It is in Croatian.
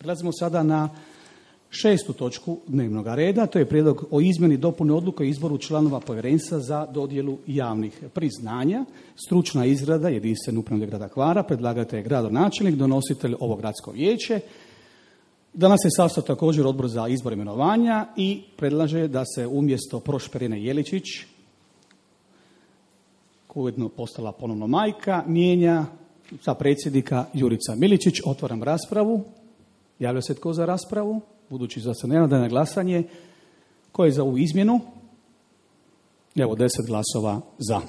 Prelazimo sada na 6. točku dnevnog reda, to je prijedlog o izmjeni dopune odluke o izboru članova povjerenstva za dodjelu javnih priznanja. Stručna izrada jedinstvene uprave grada Hvara, predlagatelj je gradonačelnik, donositelj ovo gradsko vijeće. Danas je sastao također Odbor za izbor imenovanja i predlaže da se umjesto Prošperine Jeličić, koja je ujedno postala ponovno majka, mijenja za predsjednika Jurica Miličić. Otvaram raspravu. Javlja se tko za raspravu? Budući da se ne nada na glasanje, ko je za ovu izmjenu? Evo 10 glasova za.